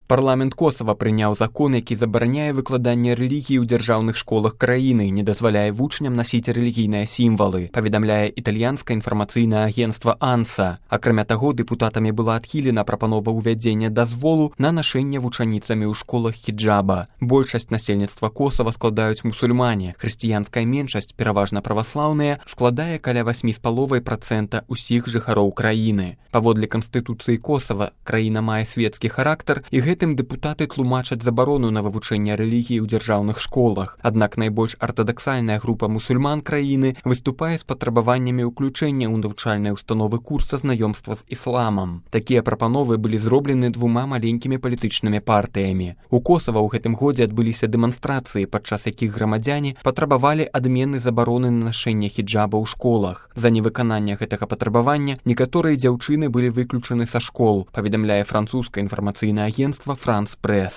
Парламент Косава прыняў закон, які забараняе выкладанне рэлігіі ў дзяржаўных школах краіны, не дазваляе вучням насіць рэлігійныя сімвалы, паведамляе італьянскае інфармацыйнае агенцтва «Анса». Акрамя таго, дэпутатамі была адхілена прапанова ўвядзення дазволу на нашэнне вучаніцамі ў школах хіджаба. Большасць насельніцтва Косава складаюць мусульмане. Хрысціянская меншасць, пераважна праваслаўная, складае каля 8,5% усіх жыхароў краіны. Паводле Канстытуцыі Косава краіна мае свецкі характар, і гэтым дэпутаты тлумачаць забарону на вывучэнне рэлігіі ў дзяржаўных школах. Аднак найбольш артадаксальная група мусульман краіны выступае з патрабаваннямі ўключэння ў навучальныя установы курса знаёмства з ісламам. Такія прапановы былі зроблены двума маленькімі палітычнымі партыямі. У Косава ў гэтым годзе адбыліся дэманстрацыі, падчас якіх грамадзяне патрабавалі адмены забароны на нашэнне хіджаба ў школах. За невыкананне гэтага патрабавання некаторыя дзяўчыны былі выключаны са школ, паведамляе французскае інфармацыйнае агенцтва «Франс Прэс».